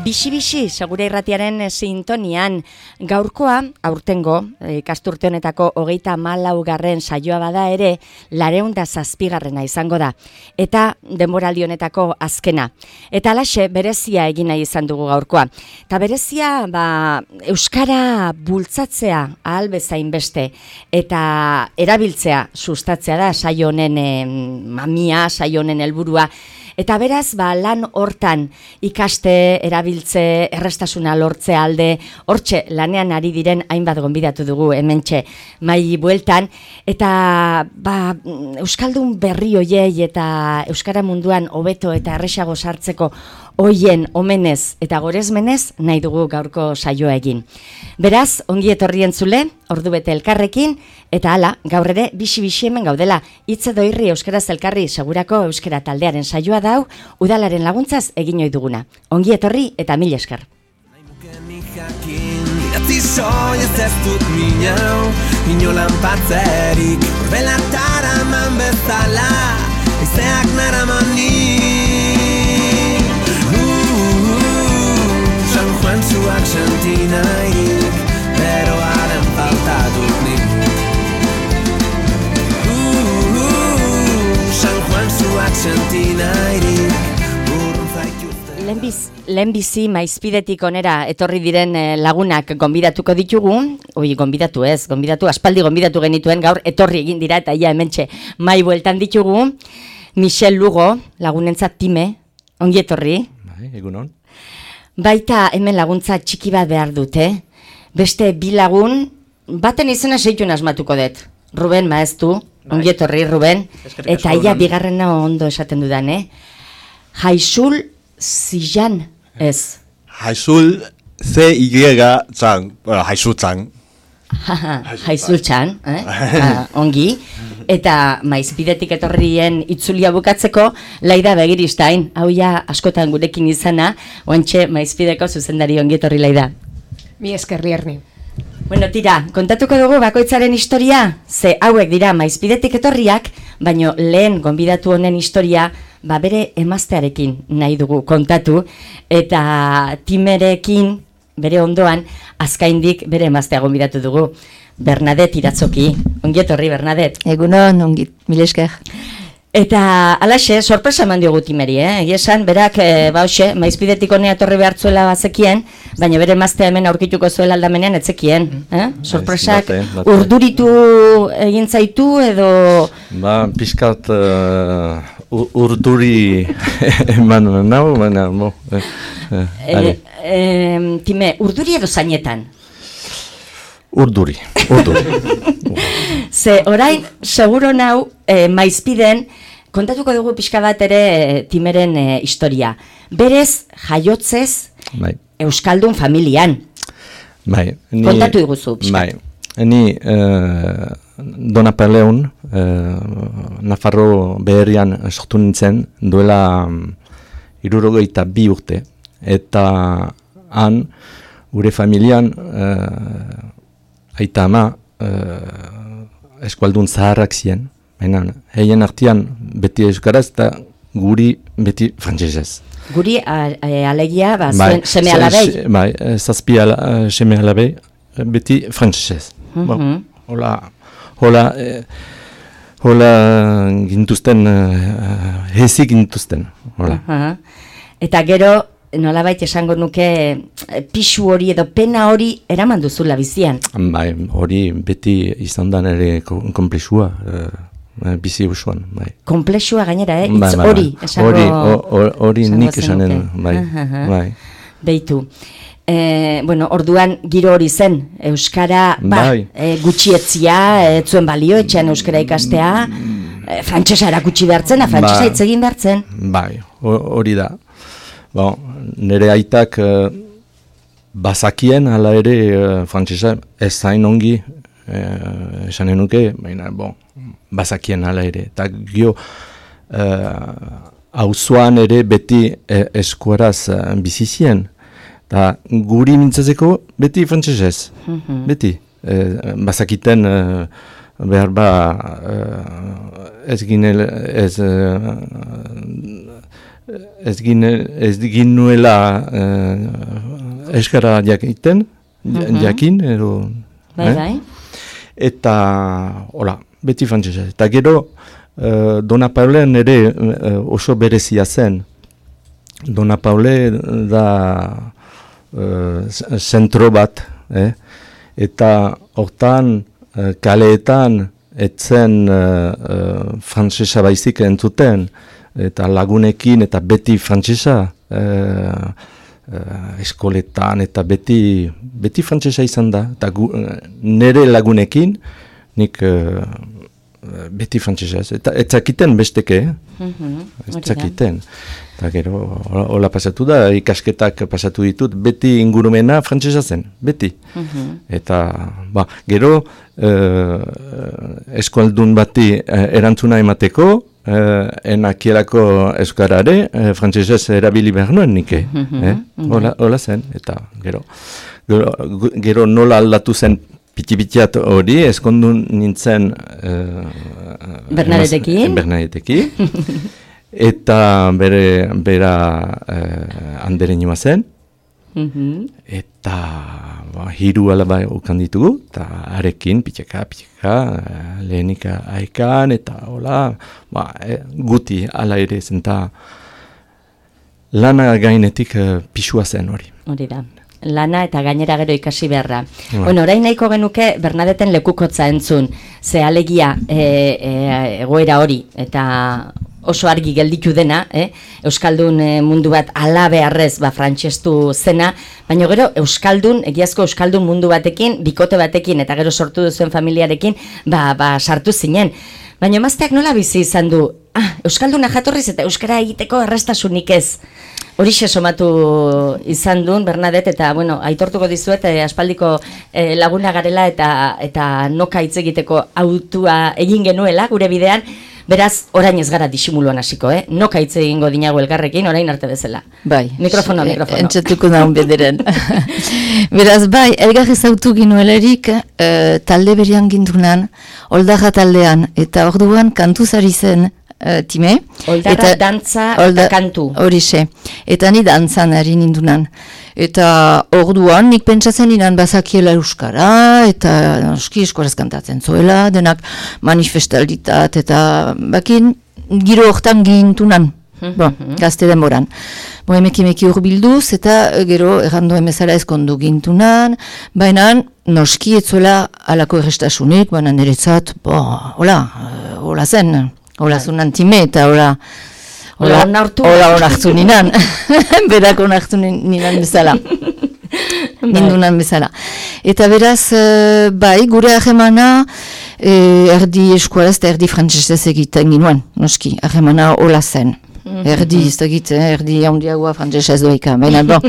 Bixi-bixi, segura irratiaren sintonian, gaurkoa, aurtengo, ikasturte honetako 34. saioa bada ere, 207. izango da. Eta denboraldi honetako azkena. Eta alaxe, berezia egin nahi izan dugu gaurkoa. Eta berezia, euskara bultzatzea ahal bezain beste, eta erabiltzea sustatzea da, saio honen mamia, saio honen helburua. Eta beraz, lan hortan ikaste, erabiltze, errestasuna lortze alde, hortxe lanean ari diren hainbat gonbidatu dugu hementxe mai bueltan, eta euskaldun berri hoiei eta euskara munduan hobeto eta erresago sartzeko hoien omenez eta gorezmenez nahi dugu gaurko saioa egin. Beraz, ongi etorri entzule, ordu bete elkarrekin, eta hala, gaur ere, bixi-bixi hemen gaudela, hitz edo irri euskaraz elkarri segurako euskara taldearen saioa dau, udalaren laguntzaz egin ohi duguna. Ongi etorri eta mil esker. Idatzi soiez ez dut minau, inolan patzerik, orbelatara man bezala, izeak naramani. San Juan zuak sentinairik, beroaren falta dut nik. San Juan zuak sentinairik, urrun zaituzte. Lehenbizi maizpidetik onera etorri diren lagunak gonbidatuko ditugu, gonbidatu, aspaldi gonbidatu genituen, gaur etorri egin dira eta ia hementxe mai bueltan ditugu. Michel Lugo, lagunentzat time, ongi etorri. Egunon. Baita hemen laguntza txiki bat behar dute. Beste bi lagun, baten izena seitun asmatuko dut. Ruben maeztu, ongi etorri Ruben, eta ia bigarrena ondo esaten dudan, Jaizul Zijan ez. Jaizul C-Y-Zan, Jaizul Zan. Jaizul Zan, ongi. Eta maizpidetik etorrien itzulia bukatzeko, Laida Begiristain, hau ja askotan gurekin izana, oantxe maizpideko zuzendari ongi etorri Laida. Mi esker Lierni. Bueno, tira, kontatuko dugu bakoitzaren historia, ze hauek dira maizpidetik etorriak, baino lehen gonbidatu honen historia, bere emaztearekin nahi dugu kontatu, eta timerekin, bere ondoan, azkaindik bere emaztea gonbidatu dugu. Bernadette Iratzoki, ongi etorri Bernadette. Egunon, ongi, mil esker. Eta alaxe, sorpresa eman diogu timeri, Esan, berak, maizpidetik honea etorri behartzuela bazekien, baina bere emaztea hemen aurkituko zuela aldamenean etzekien. Sorpresak urduritu egin zaitu edo... Piskat urduri eman nau, baina... Time, urduri edo zainetan? Urduri. Ze, orain, seguro nau, maizpiden, kontatuko dugu pixka bat ere timeren historia. Berez, jaiotzez, euskaldun familian. Kontatu iguzu, pixka. Ni Donapaleun, Nafarro beherrian sortu nintzen, duela 62 urte. Eta han, gure familian, aita ama eskualdun zaharrak ziren, baina heien artean beti euskaraz eta guri beti frantsesez. Guri alegia, zuen seme alabei? Zazpi seme alabei, beti frantsesez. Hola gintuzten, hezik gintuzten. Eta gero, nolabait esango nuke pixu hori edo pena hori eraman duzula bizian. Hori beti izan da nire komplexua bizi usuan. Komplexua gainera, hitz hori esango... Hori nik esanen, Beitu. Orduan giro hori zen, euskara gutxietzia, etzuen balio, etxean euskara ikastea, frantsesa erakutsi behartzen, frantsesa hitz egin behartzen. Hori da. Nire aitak bazakien, hala ere frantsesa ez zain ongi esanen nuke, baina bazakien hala ere. Eta gio auzoan ere beti eskuaraz bizizien. Eta guri mintzazeko beti frantsesez, beti. Bazakiten behar ez ez ginuela euskara jakiten, jakin, edo... Bai. Eta, hola, beti frantsesa. Eta gero, Dona Paulen ere oso berezia zen. Dona Paule da zentro bat, eta hortan kaleetan etzen frantsesa baizik entzuten, eta lagunekin eta beti frantsesa eskoletan eta beti frantsesa izan da, eta nire lagunekin nik beti frantsesa ez zakiten besteke, ez zakiten. Eta gero, hola pasatu da, ikasketak pasatu ditut, beti ingurumena frantsesa zen, beti. Eta, gero, eskualdun bati erantzuna emateko, enakielako euskarare, frantsesez erabili behar nuen nike. Hola zen, eta gero nola aldatu zen piti-pitiat hori, eskondun nintzen Bernadettekin. Eta bera handeren joa zen, eta hiru alaba ukan ditugu, eta arekin pitxeka, lehenik aekan, eta hola, guti ala ere zen, eta lana gainetik pisua zen hori. Hori da. Lana eta gainera gero ikasi beharra. Bueno, orain nahiko genuke Bernadetten lekukotza entzun, ze alegia egoera hori, eta oso argi gelditu dena, Euskaldun mundu bat ala beharrez frantsestu zena, baina gero egiazko Euskaldun mundu batekin, bikote batekin, eta gero sortu duzuen familiarekin, sartu zinen. Baina emazteak nola bizi izan du, Euskalduna jatorriz eta Euskara egiteko errestasunik ez. Horixe somatu izan duen Bernadette, eta aitortuko dizuet aspaldiko laguna garela eta noka hitz egiteko autua egin genuela gure bidean. Beraz, orain ez gara disimuluan hasiko, noka hitz egingo dinago elgarrekin, orain arte bezala. Bai. Mikrofono. Entzatuko daun bederen. Beraz, bai, elgar ezautu ginuelerik talde berian gindunan, Oldarra taldean, eta orduan kantuz ari zen time. Oldarra dantza eta kantu. Horixe. Eta ni dantzan ari nindunan. Eta orduan nik pentsatzen inan bazakiela euskara, eta noski eskoraz kantatzen zuela, denak manifestalditat, eta bakin giro hortan gintunan, gazte denboran. Emeki urbilduz, eta gero errando emezala ezkondu gintunan, baina noski etzuela alako errestasunik, baina niretzat, hola zen, hola zunan time, eta hola onartu ninan, berak onartu ninan bezala, nindunan bezala. Eta beraz, bai, gure ahemana erdi eskualaz eta erdi frantsesez egiten ginuen, noski, ahemana hola zen. Erdi handiagoa frantsesez doika, baina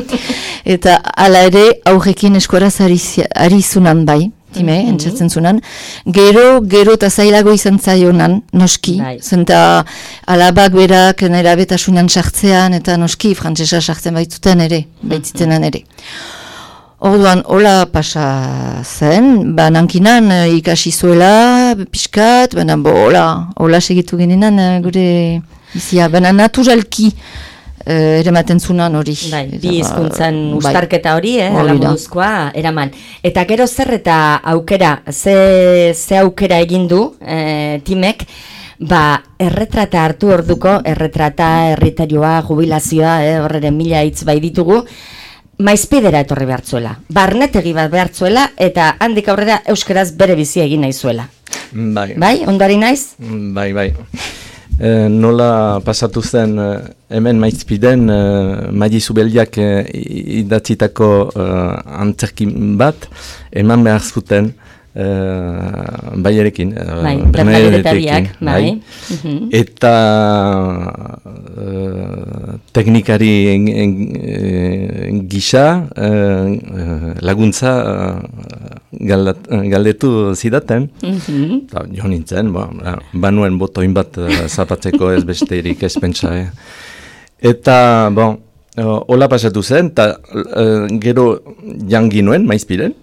Eta ala ere aurrekin eskualaz ari zunan bai, entzatzen zunan, gero eta zailago izan zaionan, noski, zenta alabak berak nera betasunan sartzean, eta noski frantsesa sartzen baitzuten ere, baitzitenan ere. Orduan, hola pasa zen, nankinan ikasi zuela, pixkat, hola segitu ginenan gure bizia, naturalki erematen zunan hori. Bi hizkuntzan ustarketa hori, alamoduzkoa eraman. Eta gero zer eta aukera, ze aukera egin du timek, erretrata hartu orduko, erretrata, erritarioa, jubilazioa, horreren mila hitz bai ditugu, maizpidera etorri behartzuela, barnetegi bat behartzuela, eta handik aurrera euskaraz bere bizia egin nahi zuela. Bai, ondari naiz? Bai. Nola pasatu zen hemen maizpiden Maili Zubeldiak idatzitako antzerkin bat eman behar zuten baierekin, Bernadettekin. Eta teknikari gisa laguntza galdetu zidaten. Jo nintzen, banuen botoin bat zapatzeko ez besterik ez pentsa. Eta, hola pasatu zen, eta gero jangi nuen maizpiren.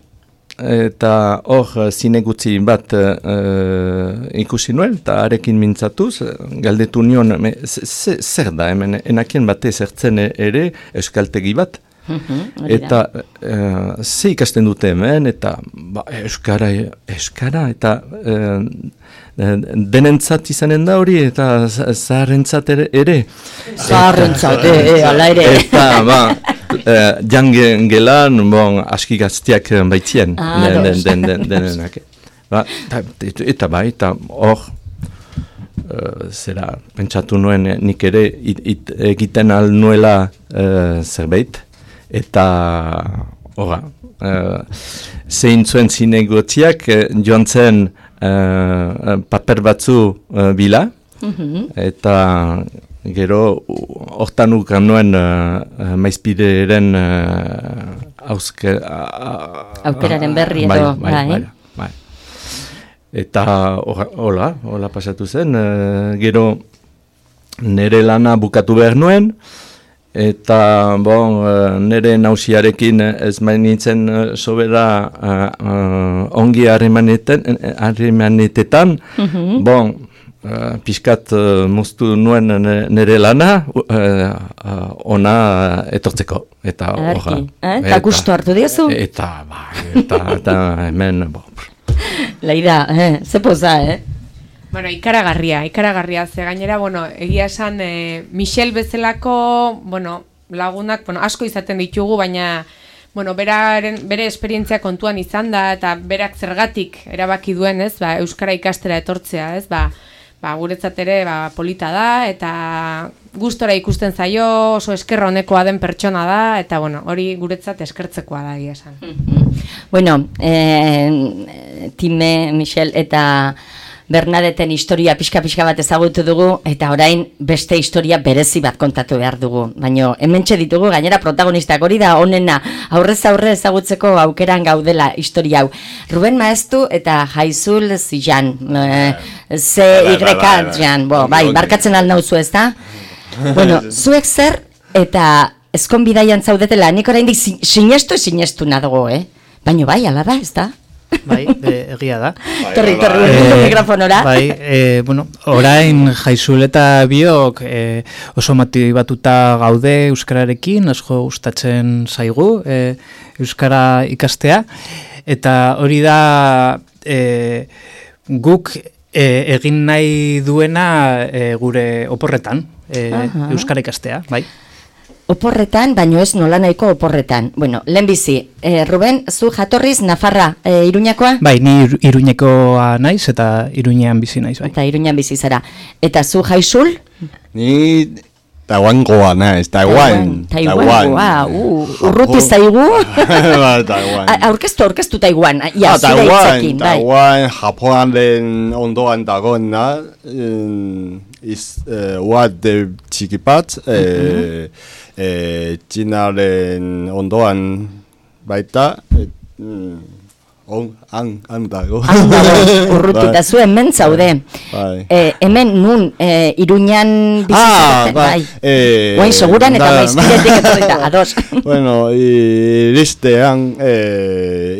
eta hor zinegutzi bat ikusi nuen, eta arekin mintzatuz, galdetu nion, zer da, hemen enakien batez ertzen ere euskaltegi bat, eta ze ikasten dute hemen, eta euskara, eta denentzat izanen da hori, eta zaharrentzat ere. Zaharrentzat, ala ere. Eta, jangen gelan, aski gaztiak baitzien, denenak. Eta hor, zera, pentsatu nuen nik ere egiten al nuela zerbait, eta horra, zein zuen zinegotziak joan zen paper batzu bila, eta gero hortan ukan nuen maizpideren aukeraren berri edo. Bai. Eta hola pasatu zen, gero nire lana bukatu behar nuen, eta nire nausiarekin ez mainintzen sobera ongi harremanetetan, pixkat moztu nuen nire lana ona etortzeko. Eta gustu hartu diozu? Eta hemen... Laida, ze poza, Bueno, ikaragarria, ze gainera, egia esan, Michel bezalako, lagunak, asko izaten ditugu, baina, bere esperientzia kontuan izan da, eta berak zergatik erabaki duen, euskara ikastera etortzea, guretzat ere, polita da, eta gustora ikusten zaio, oso eskerra honekoa den pertsona da, eta, hori guretzat eskertzekoa da, egia esan. Bueno, Time, Michel, eta Bernadeten historia pixka bat ezagutu dugu, eta orain beste historia berezi bat kontatu behar dugu. Baina hementxe ditugu, gainera protagonistak hori da onena aurrez aurre ezagutzeko aukeran gaudela historia hau. Ruben Maeztu eta Jaizul Zijan, Z-Y-Jan, barkatzen alnauzu ez da? Bueno, zuek zer eta ezkonbidaian zaudetela, nik oraindik sinestu nadugu, Baina ala da, ez da? Bai, egia da. Torri, mikrofonora. Bai, orain Jaizul eta biok oso motibatuta gaude euskararekin, asko gustatzen zaigu euskara ikastea, eta hori da guk egin nahi duena gure oporretan euskara ikastea, bai. Oporretan, baino ez nola nahiko oporretan. Bueno, lehenbizi, Ruben, zu jatorriz Nafarra, Iruñakoa? Bai, ni Iruñekoa naiz eta Iruñean bizi naiz, bai. Eta Iruñean bizi zara. Eta zu Jaizul? Ni Taiwangoa naiz, Taiwan. Taiwangoa, urruti zaigu? Taiwan. Aurkeztu Taiwan, Taiwan, Japonaren ondoan dagoena, uade txiki bat, Txinaren ondoan baita, han dago. Urrutita zuen mentzaude. Hemen nun Iruñan bizitzen, bai. Guain seguran eta maizpiretik etorrita, ados. Bueno, iristean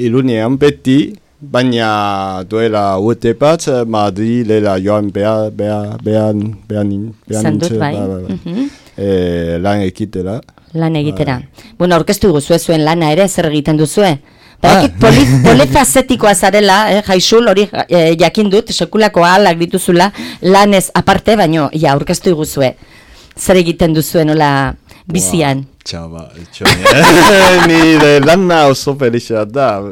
Iruñean beti, baina duela urte bat, Madrilera joan behar lan ekitera. Lan egitera. Bueno, aurkeztu guzue zuen lana ere, zer egiten duzue? Barakit polifazetikoa zarela, Jaizul, hori jakin dut, sekulako ahalak dituzula, lanez aparte, baino, aurkeztu guzue. Zer egiten duzuen, hola, bizian? Txaba, nire lana oso felixa da.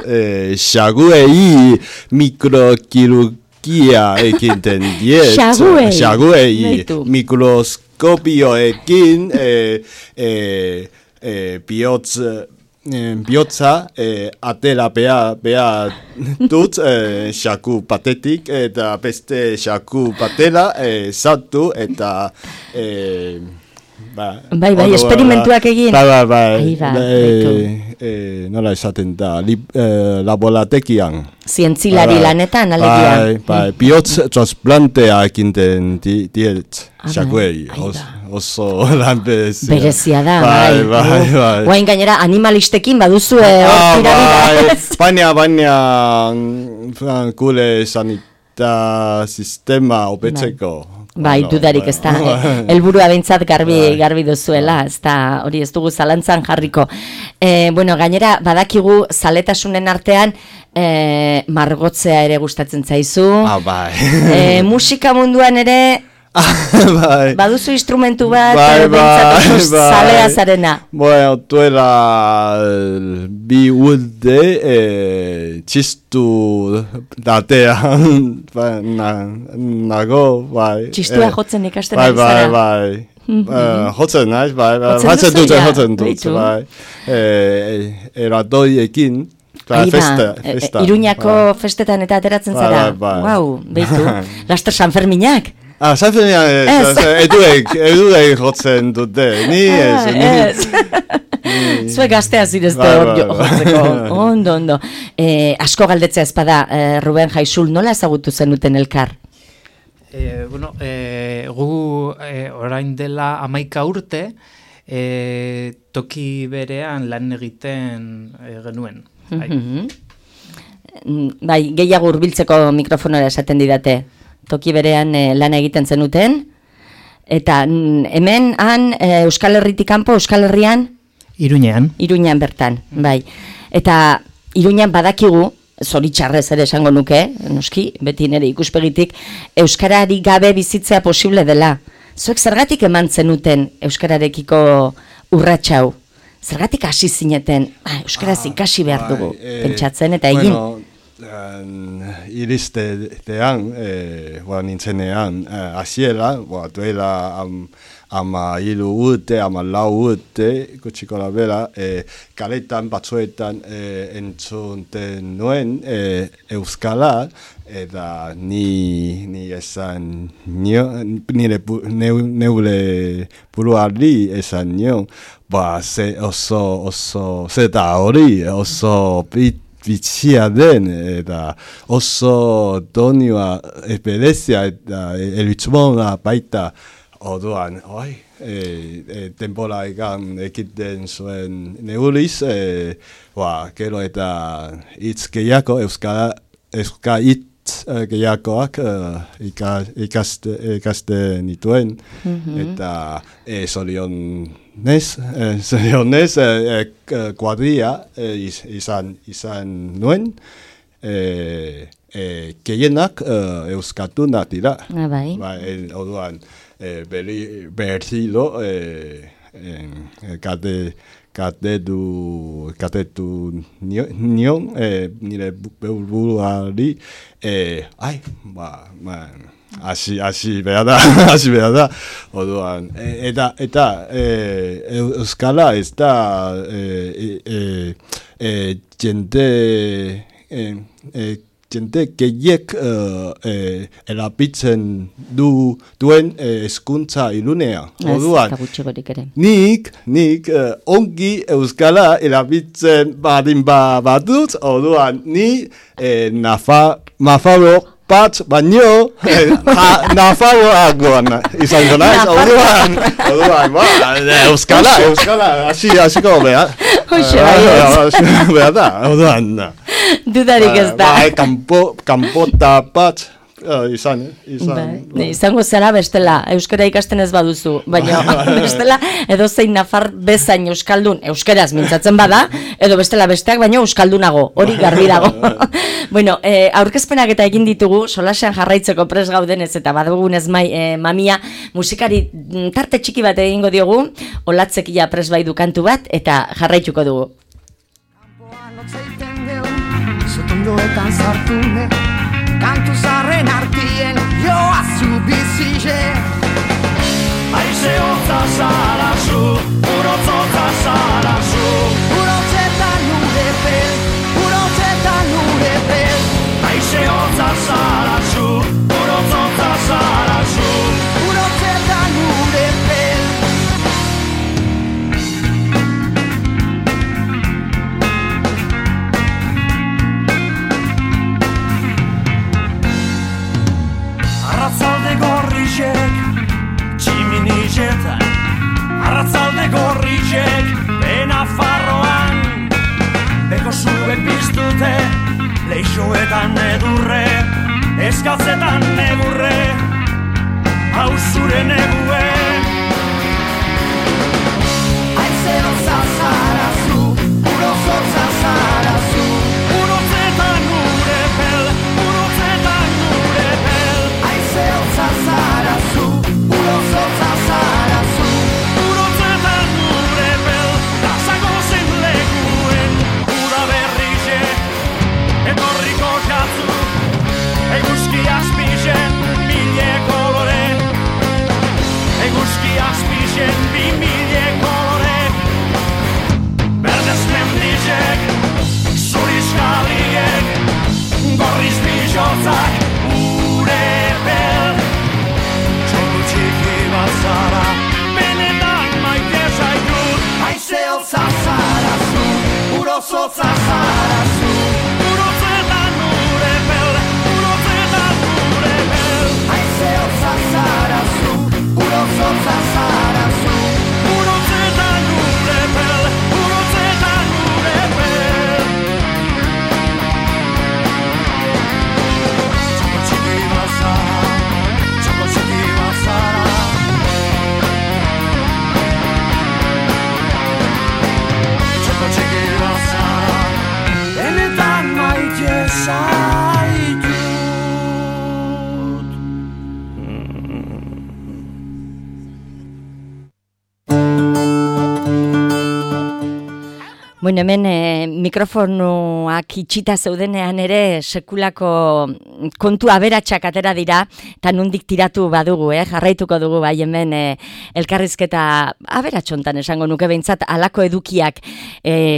Xaguei mikrokirurgia ekiten diet. Xaguei mikroskopioekin bihotza atera behar dut xaku batetik eta beste xaku batera sartu eta Bai, esperimentuak egin. Bai. Nola esaten da, laborategian. Zientzilari lanetan, alegia. Bai, bihotz transplantea ekinten diet, xakuei, oso lan berezia. Berezia da, bai. Guain gainera animalistekin baduzue baina gure sanita sistema hobetzeko. Bai, dudarik ez da, helburua behintzat garbi duzuela, ez da, hori ez dugu zalantzan jarriko. Gainera, badakigu zaletasunen artean, margotzea ere gustatzen zaizu. Bai. Musika munduan ere, baduzu instrumentu bat, behintzat oso zalea zarena. Duela bi urte, txistu datean, nago, bai. Txistua jotzen ikasten ari zara. Bai. Jotzen naiz, bai. Jotzen dut, bai. Eradoiekin. Festa. Iruñako festetan eta ateratzen zara. Wow, behitu. Laster Sanferminak. Eduek jotzen dute, ni ez. Zue gaztea zirezte hor jotzeko, ondo. Asko galdetzea ezpada, Ruben Jaisul, nola ezagutu zenuten elkar? Gu orain dela 11 urte, toki berean lan egiten genuen. Bai, gehiago hurbiltzeko mikrofonora esaten didate. Toki berean lan egiten zenuten, eta hemen, Euskal Herritik kanpo, Euskal Herrian? Iruñean bertan, bai. Eta Iruñean badakigu, zoritxarrez ere esango nuke, noski, beti nire ikuspegitik, Euskarari gabe bizitzea posible dela. Zuek zergatik eman zenuten Euskararekiko urratxau? Zergatik hasi zineten, Euskaraz ikasi behar dugu, pentsatzen eta egin? Iristean, nintzenean, hasiera, duela hiru urte, 14 urte, gutxiko labera, kaletan batzuetan entzunten nuen Euskala, eta ni esan neure buruari esan nion, zeta hori, oso bitxia den, eta oso donioa esperezia eta elitxumona baita orduan, tempola egan ekiten zuen neuriz, gero eta hitz gehiago, euskara hitz gehiagoak ikaste nituen, eta zorionez, kuadria izan nuen, gehienak euskatunak dira. Orduan, berriro katetu nion, nire buruari, hasi behar da, orduan, eta euskara ez da jende gehiek erabiltzen duen hezkuntza ilunea. Orduan, nik ongi euskara erabiltzen badin badut, orduan, ni Nafarro bat baino Nafarroagoan izango naiz, orduan, euskara, hasiko behar. Behar da, orduan. Dudarik ez da. Kanpota bat izango zara bestela, euskara ikasten ez baduzu, baina bestela edozein nafar bezain euskaldun, euskaraz mintzatzen bada, edo bestela besteak baina euskaldunago, hori garbi dago. Bueno, aurkezpenak eta egin ditugu, solasean jarraitzeko pres gaudenez eta badugunez mamia, musikari tarte txiki bat egingo diogu, Olatzekia pres bai du kantu bat, eta jarraituko dugu. Zotondoetan sartune, kantu zarren artien joazu bizize. Aize hotza zarazu, urotzotza zarazu, urotzetan nure pel, aize hotza zarazu, urotzotza zarazu, urotzetan nure pel. Bisuetan edurre, eskatzetan negurre, hau zure negue. Haize hotza zara zu, urozotza zara zu, urotzetan urepel, urotzetan urepel. Haize hotza zara zu, urozotza zara zu, urotzetan urepel, lasago zen leguen, uda berrize, etorriko jatzu, eguzki azpizen, mile kolore, eguzki azpizen, bi mile kolore, berdez mendizek, zuriz galiek, gorriz bizotzak, urepel, txoko txiki bat zara, benetan maite zaitut, haize hotza zara zu, urozotza zara zu, urotzetan urepel, urotzetan urepel, haize hotza zara zu, urozotza zara zu, urotzetan urepel, urotzetan urepel. Txoko txiki bat zara, txoko txiki bat zara, txoko txiki bat zara, benetan maite zaitut. Bueno, hemen mikrofonoak itxita zeudenean ere sekulako kontu aberatsak atera dira, eta nondik tiratu badugu, jarraituko dugu bai hemen elkarrizketa aberatxontan esango nuke behintzat alako edukiak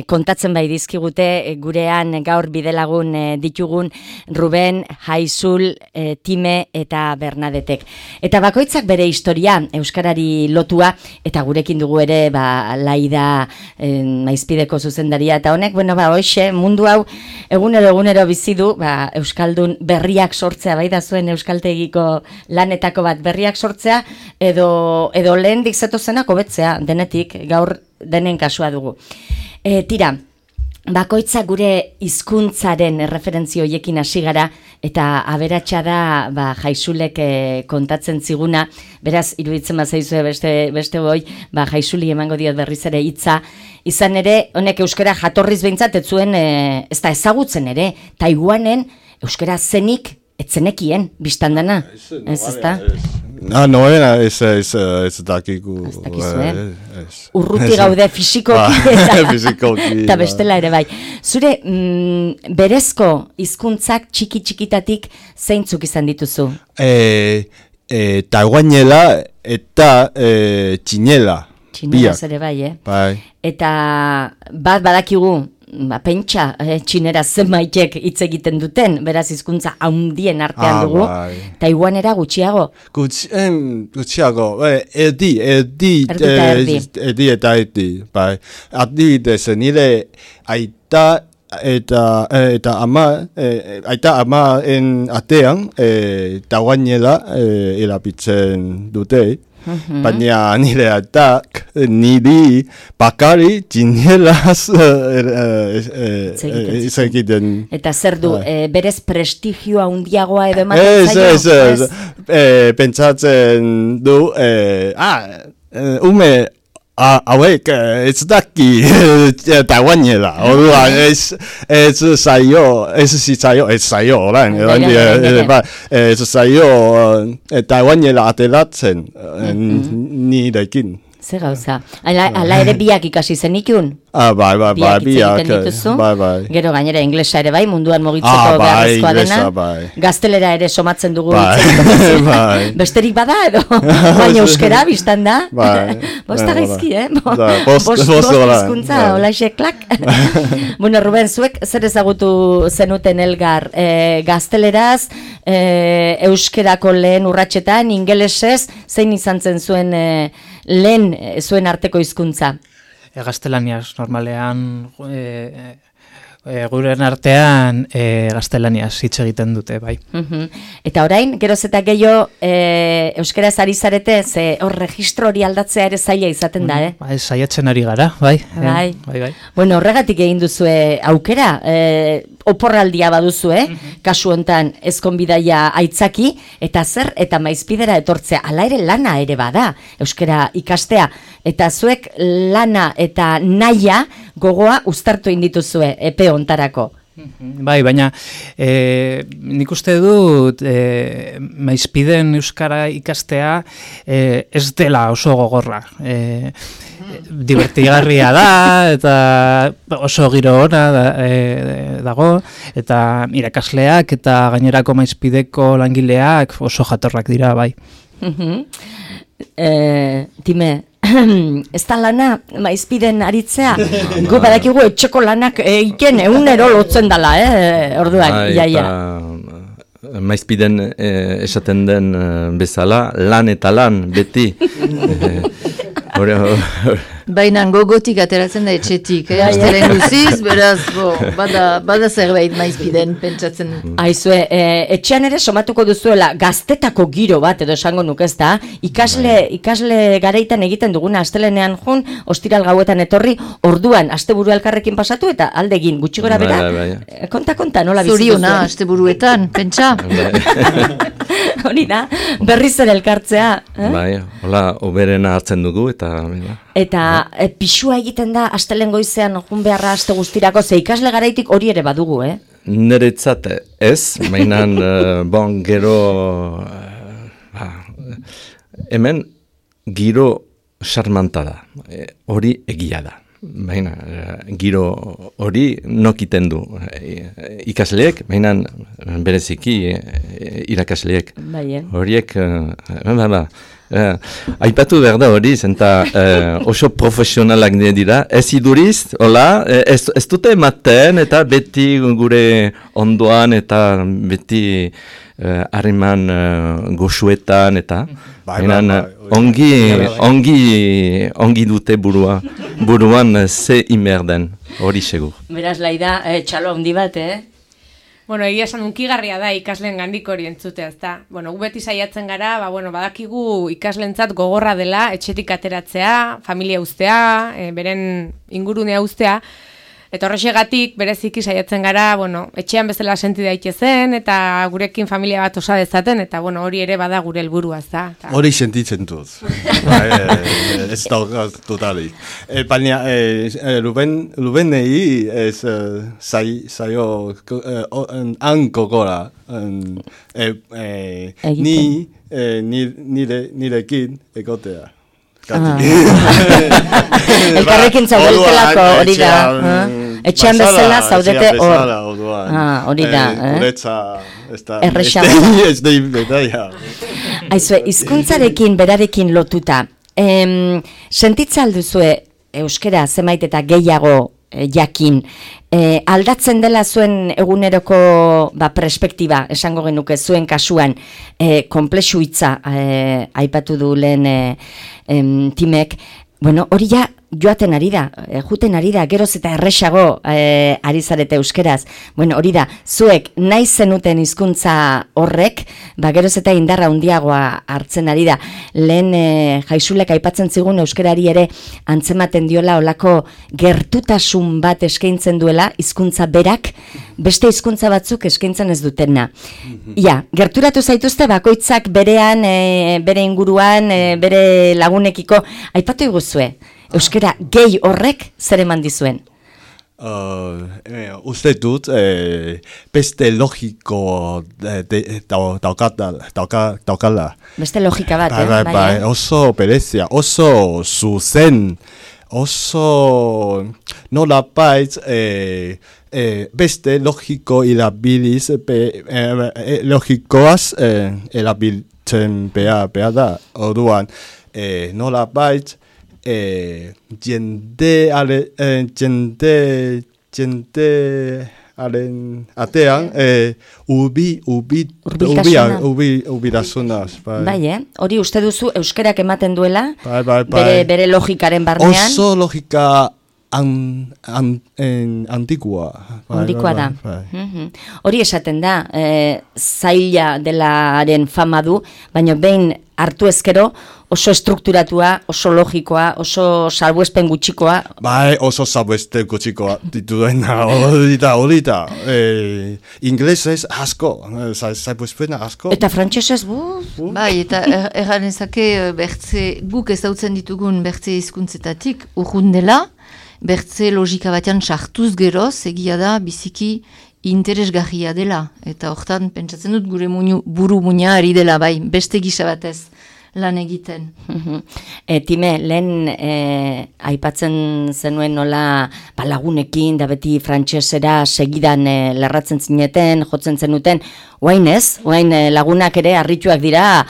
kontatzen bai dizkigute gurean gaur bidelagun ditugun Ruben, Jaizul, Time eta Bernadetek. Eta bakoitzak bere historia euskarari lotua, eta gurekin dugu ere Laida Maizpideko zuzendaria, eta honek, hoxe, mundu hau egunero bizi du, euskaldun berriak sortzea, bai da zuen euskaltegiko lanetako bat berriak sortzea, edo lehendik zetozenak hobetzea, denetik, gaur denen kasua dugu. Tira, bakoitza gure hizkuntzaren referentzio hoiekin hasi gara, eta aberatsa da Jaizulek kontatzen ziguna, beraz, iruditzen bazaizue beste boi, Jaizuli emango diot berriz ere hitza, izan ere, honek euskara jatorriz behintzat ez zuen, ez da ezagutzen ere, Taiwanen euskara zenik etzenekien, biztandana, ez da? Noena ez dakigu. Ez dakizu, urruti gaude fisikoki eta bestela ere bai. Zure berezko hizkuntzak txiki-txikitatik zeintzuk izan dituzu? Taiwanela eta txinela. Txineraz ere bai, Bai. Eta bat badakigu, pentsa txinera zenbaitek hitz egiten duten, beraz hizkuntza handien artean dugu, Taiwanera gutxiago. Gutxiago, erdi eta erdi, bai. Adibidez, nire aita eta amaren atean Taiwanela erabiltzen dute. Baina nire atak niri bakari txinelaz egiten. Eta zer du, berez prestigioa handiagoa edo ematen zaio? Ez, pentsatzen du, ume hauek ez daki Taiwanela, orduan ez zaio orain, ez zaio Taiwanela ateratzen nirekin. Ze gauza. Ala ere biak ikasi zenikun? Bai, biak. Gero gainera inglesa ere bai, munduan mugitzeko beharrezkoa dena. Gaztelera ere somatzen dugu. Besterik bada edo? Baina euskera biztan da? Bosta gaizki, Bost hizkuntza, olaxe klak. Bueno, Ruben, zuek zer ezagutu zenuten elgar? Gazteleraz, euskerako lehen urratsetan, ingelesez, zein izan zen zuen lehen zuen arteko hizkuntza? Gaztelaniaz normalean Guren artean gaztelaniaz hitz egiten dute, bai. Eta orain, geroz eta gehiago euskaraz ari zarete, ze hor registro hori aldatzea ere zaila izaten da, Bai, saiatzen ari gara, bai. Bai. Bueno, horregatik egin duzue aukera, oporraldia baduzue, kasu hontan ezkonbidaia aitzaki, eta zer, eta maizpidera etortzea, ala ere lana ere bada, euskara ikastea, eta zuek lana eta naia gogoa uztartu indituzue, epe hontarako. Bai, baina nik uste dut maizpiden euskara ikastea ez dela oso gogorra. Divertigarria da, eta oso giro ona dago, eta irakasleak eta gainerako maizpideko langileak oso jatorrak dira, bai. Time, ez da lana maizpiden aritzea, gu badakigu etxeko lanak egiten egunero lotzen dala, orduan, iaia. Maizpiden esaten den bezala, lan eta lan, beti. Baina gogotik ateratzen da etxetik, astelen guziz, beraz, bada zerbait maizpiden pentsatzen. Aizue, etxean ere somatuko duzuela gaztetako giro bat edo esango nuke ez da, ikasle garaitan egiten duguna astelenean jun, ostiral gauetan etorri, orduan asteburu elkarrekin pasatu eta aldegin gutxi gora bera. Konta, nola bizitu zuen? Zoriona, asteburuetan, pentsa. Hori da, berriz ere elkartzea. Bai, hola, oberena hartzen dugu eta pixua egiten da astelen goizean jun beharra aste guztirako, ze ikasle garaitik hori ere badugu, Niretzat ez, mainan, gero, hemen giro xarmanta da, hori egia da. Baina, giro hori nokiten du ikasleek, baina bereziki irakasleek. Horiek, aipatu behar da hori, zenta oso profesionalak dira, ez iduriz, hola, ez dute ematen eta beti gure ondoan eta beti harreman goxuetan eta ongi dute buruan ze imerden, hori segur. Beraz, Laida, txalo handi bat, Bueno, egia esan unkigarria da ikasleen gandik hori entzutea, ezta. Bueno, gu beti saiatzen gara, badakigu ikaslentzat gogorra dela, etxetik ateratzea, familia uztea, beren ingurunea uztea, eta horrexegatik bereziki saiatzen gara, etxean bezala senti daitezen, eta gurekin familia bat osa dezaten, eta hori ere bada gure helburua, ezta. Hori sentitzen dut. Ez daukat totalik. Baina, Rubenei ez zaio hanko gora. Nirekin egotea. Elkarrekin zaudeltelako hori da. Etxean bezala zaudete hor. Hori da. Errexago. Aizue, hizkuntzarekin berarekin lotuta. Sentitza alduzue euskera zenbait eta gehiago jakin. Aldatzen dela zuen eguneroko perspektiba, esango genuke zuen kasuan, konplexu hitza aipatu du lehen Timek, hori ja joaten ari da, juten ari da, geroz eta erresago ari zarete euskeraz. Hori da, zuek nahi zenuten hizkuntza horrek, geroz eta indarra handiagoa hartzen ari da. Lehen Jaisulek aipatzen zigun euskerari ere antzematen diola olako gertutasun bat eskaintzen duela hizkuntza berak, beste hizkuntza batzuk eskaintzen ez dutena. Gerturatu zaituzte bakoitzak berean, bere inguruan, bere lagunekiko, aipatu iguzue. Euskera gehi horrek zer eman dizuen? Uste dut, beste logiko daukala. Beste logika bat, bai. Oso berezia, oso zuzen, oso nolabait beste logiko irabiliz, logikoaz erabiltzen behar da. Orduan, nolabait, jendearen atean ubirasunaz. Hori uste duzu euskerak ematen duela, bere logikaren barnean. Oso logika Antikoa. Handikoa da. Hori esaten da, zaila delaren fama du, baina behin hartu ezkero oso estrukturatua, oso logikoa, oso salbuespen gutxikoa. Bai, oso salbuespen gutxikoa dituena, hori da. Inglesez asko, salbuespen asko. Eta frantsesez Bai, eta erganezake guk ezautzen ditugun bertze hizkuntzetatik urrun dela, bertze logika batean sartuz geroz, egia da, biziki interesgarria dela. Eta hortan, pentsatzen dut gure buru muina ari dela, bai, beste gisa batez lan egiten. Time, lehen aipatzen zenuen nola lagunekin, da beti frantsesera segidan lerratzen zineten, jotzen zenuten, oain ez? Oain lagunak ere harrituak dira,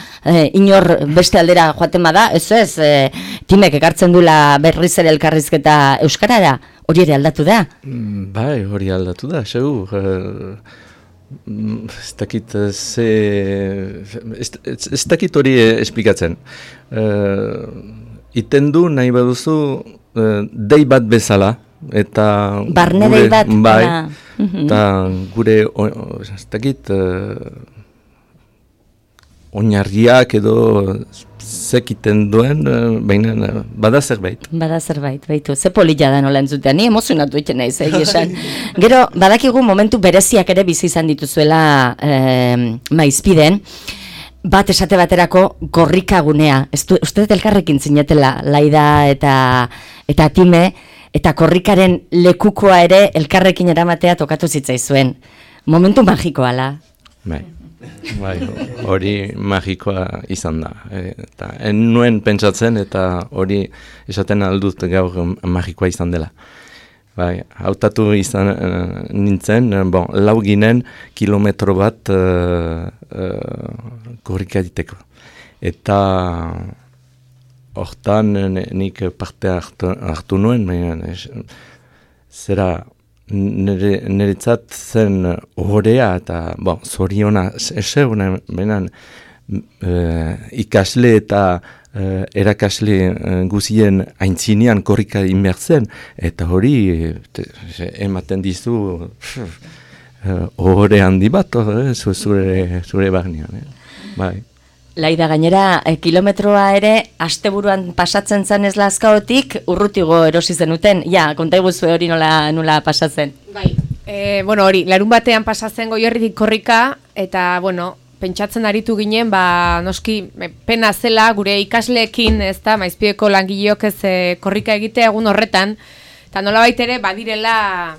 inor beste aldera joaten bada, ez, Timek ekartzen dula berriz ere elkarrizketa euskarara, hori ere aldatu da? Bai, hori aldatu da, segur. Ez dakit hori esplikatzen. Iten du nahi baduzu dei bat bezala, eta barne dei bat. Bai, eta gure ez dakit oinarriak edo zekiten duen, baina bada zerbait. Bada zerbait, baitu. Ze polilla da nola entzutean, ni emozionatu egiten naiz, esan. Gero, badakigu momentu bereziak ere bizi izan dituzuela Maizpiden, bat esate baterako korrikagunea. Uste dut elkarrekin zinetela, Laida eta Time, eta korrikaren lekukoa ere elkarrekin eramatea tokatu zitzaizuen. Momentu magikoa, la? Bai, hori magikoa izan da. Eta nuen pentsatzen eta hori esaten aldut gaur magikoa izan dela. Bai, hautatu izan nintzen, lau ginen kilometro bat korrika diteko. Eta hortan nik parte hartu nuen, zera niretzat zen horrea eta zoriona eseguna benan ikasle eta erakasle guzien aintzinean korrika inbertzen eta hori ematen dizu hore handi bat zure barnean. Bai. Laida, gainera, kilometroa ere asteburuan pasatzen zen ez lazkaotik urrutigo erosi zenuten. Ja, konta iguzu hori nola pasatzen. Bai, hori, larun batean pasatzen Goierritik korrika, eta, pentsatzen aritu ginen, noski, pena zela gure ikasleekin, ez da, Maizpideko langileok ez korrika egitea egun horretan, eta nolabait ere badirela,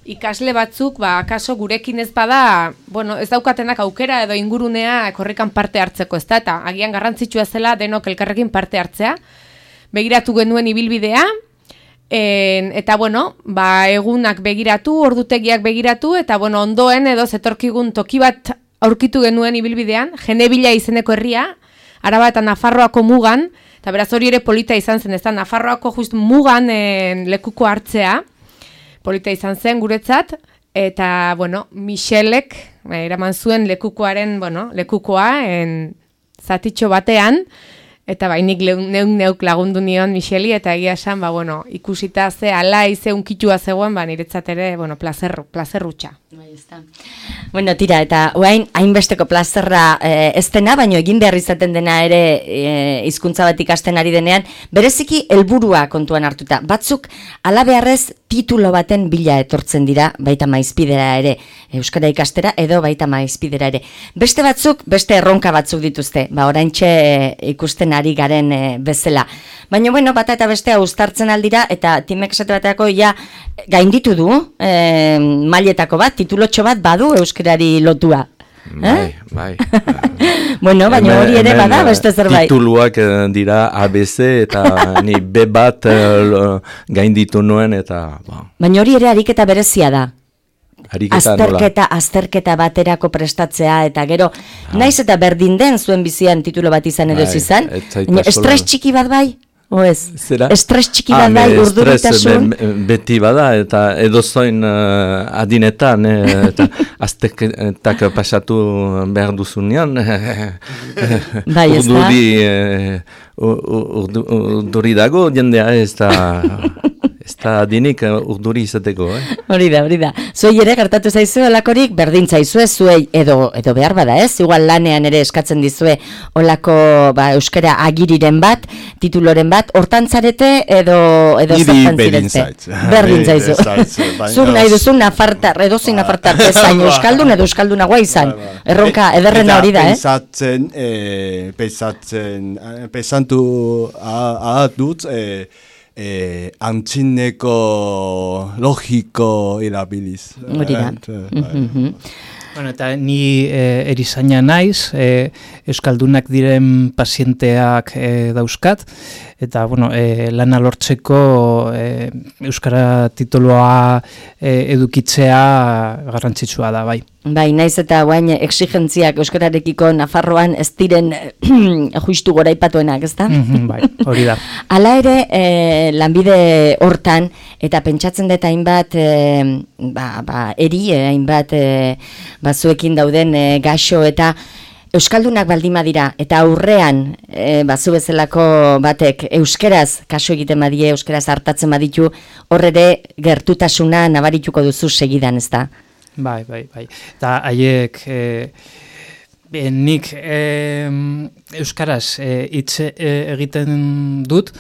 ikasle batzuk, akaso gurekin ez bada, ez daukatenak aukera edo ingurunea korrikan parte hartzeko, ez da, eta agian garrantzitsua zela denok elkarrekin parte hartzea. Begiratu genuen ibilbidea, eta egunak begiratu, ordutegiak begiratu, eta ondoen edo zetorkigun toki bat aurkitu genuen ibilbidean, Genebila izeneko herria, Araba eta Nafarroako mugan, eta beraz hori ere polita izan zen, ez da, Nafarroako just mugan lekuko hartzea, polita izan zen guretzat, eta, Michelek eraman zuen lekukoaren, lekukoa zatitxo batean, eta nik neuk lagundu nion Micheli, eta egia esan, ikusita ze alai ze unkitua zegoen, niretzat ere, plazerrutxa. Tira, eta oain, hainbesteko plazerra ez dena, baina egin behar izaten dena ere hizkuntza bat ikasten ari denean, bereziki helburua kontuan hartuta. Batzuk, alabeharrez titulo baten bila etortzen dira, baita Maizpidera ere, euskara ikastera, edo baita Maizpidera ere. Beste batzuk, beste erronka batzuk dituzte, oraintxe ikusten ari garen bezala. Baina, bata eta bestea uztartzen aldira, eta Timek esate bateako gainditu du, mailetako bat, titulotxo bat badu euskarari lotua. Bai. Baina hori ere bada beste zerbait. Tituluak dira ABC eta ni B bat gainditu nuen eta... Baina hori ere ariketa berezia da. Azterketa baterako prestatzea eta gero, naiz eta berdin den zuen bizian titulo bat izan edo izan, estres txiki bat bai? Estres txiki bat bai, urduritasun? Beti bada eta edozoin adinetan eta azterketak pasatu behar duzunean urduri dago jendea ez Eta dinik urduri izateko, Hori da. Zuei ere gertatu zaizu olakorik, berdin zaizue, zuei edo behar bada, ez? Igual lanean ere eskatzen dizue olako euskara agiriren bat, tituloren bat, hortan zarete edo zertan zirezte? Berdin zaizu. Zuk nahi duzu nafartar, edozein nafartar bezain euskaldun edo euskaldunagoa izan. Erronka ederrena hori da, Pensantu dut, antzineko logiko erabiliz. Hori da. Bueno, eta ni erizaina naiz, euskaldunak diren pazienteak dauzkat, eta lana lortzeko euskara titulua edukitzea garrantzitsua da, bai. Bai, naiz eta guain exigentziak euskararekiko Nafarroan ez diren justu goraipatuenak, ezta? Bai, hori da. Hala ere, lanbide hortan, eta pentsatzen dut hainbat, hainbat zuekin dauden gaixo eta euskaldunak baldima dira, eta aurrean zu bezalako batek euskeraz kaso egiten badie, euskeraz hartatzen baditu, horre gertutasuna nabarituko duzu segidan, ezta? Bai. Eta haiek nik euskaraz hitz egiten dut,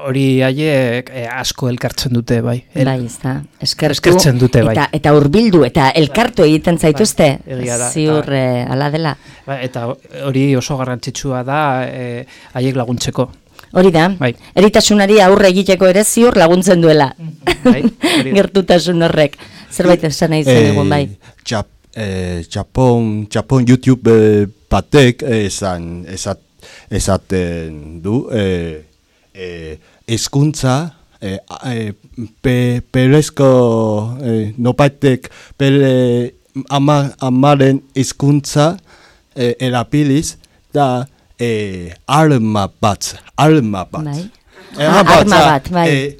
hori haiek asko elkartzen dute, bai. Bai, ez da. Eskertzen dute, bai. Eta hurbildu eta elkartu egiten zaituzte, ziur ala dela. Bai, eta hori oso garrantzitsua da haiek laguntzeko. Hori da, eritasunari aurre egiteko ere ziur laguntzen duela. Gertutasun horrek. Zerbait esan nahi zen egun, bai. Japon YouTube batek esaten du, hezkuntza perezko nopaitek bere amaren hezkuntza erabiliz da arma bat. Bere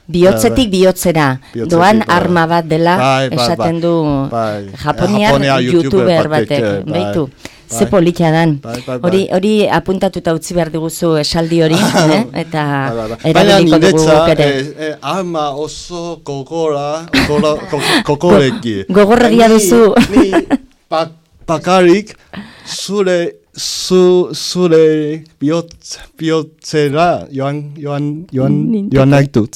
bihotzetik bihotzera doan arma bat dela esaten du Japoniar youtuber batek, behitu. Ze politia dan. Hori apuntatuta utzi behar diguzu esaldi hori, eta erabiliko dugu ere. Arma oso gogoreki. Gogorregia duzu. Ni bakarik zure bihotzera joan nahi dut.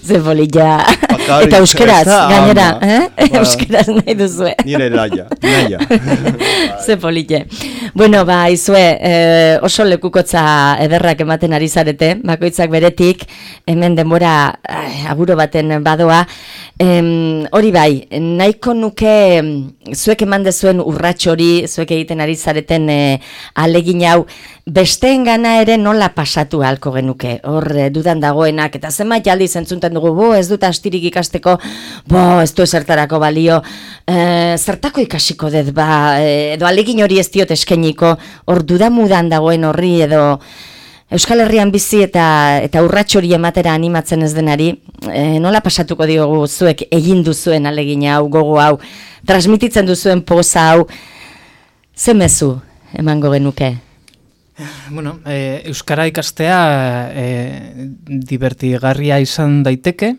Ze politia. Eta euskeraz, gainera, euskeraz nahi duzue. Nire naia. Ze politia. Bueno, izue, oso lekukotza ederrak ematen ari zarete, bakoitzak beretik, hemen denbora aguro baten badoa. Hori bai, nahiko nuke zuek eman dezuen urrats hori, zuek egiten ari zareten alegin hau, besteen gana ere nola pasatu ahalko genuke, hor dudan dagoenak, eta zenbait aldiz entzunten dugu, ez dut astirik ikasteko, ez du ezertarako balio, zertako ikasiko dut, edo alegin hori ez diot eskeniko, hor dudamudan dagoen horri, edo Euskal Herrian bizi eta urrats hori ematera animatzen ez denari, nola pasatuko diogu zuek egin duzuen alegin hau, gogo hau, transmititzen duzuen poza hau, ze mezu emango genuke? Bueno, euskara ikastea divertigarria izan daiteke,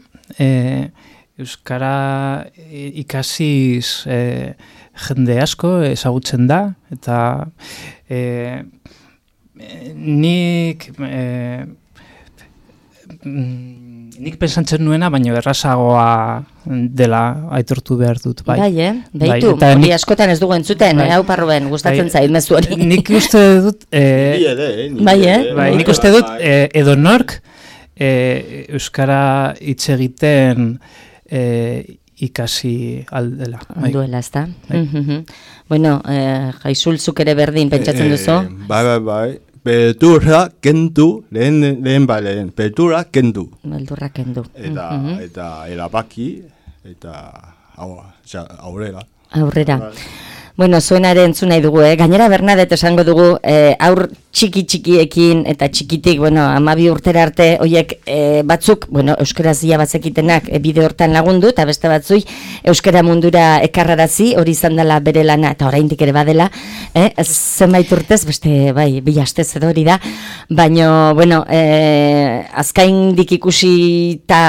euskara ikasiz jende asko ezagutzen da, eta nik pensantzen nuena, baina errazagoa dela aitortu behar dut. Bai, behitu, hori askotan ez dugu entzuten, hau parroben, gustatzen zait mezu hori. Nik uste dut, nik uste dut, edonork euskara hitz egiten ikasi aldela. Duela, ez da? Bueno, Jaisulzuk ere berdin pentsatzen duzu? Bai. Beldurra kendu, lehen, beldurra kendu. Beldurra kendu. Eta erabaki, eta aurrera. Aurrera. Bueno, zuenare entzun nahi dugu, Gainera Bernadette esango dugu, txikiekin eta txikitik, 12 urtera arte, hoiek batzuk, euskaraz ia bazekitenak bide hortan lagundu, eta beste batzuk euskara mundura ekarrarazi, hori izan dela bere lana, eta oraindik ere badela, zenbait urtez, beste, bai, 2 astez edo hori da, baina, azkaindik ikusita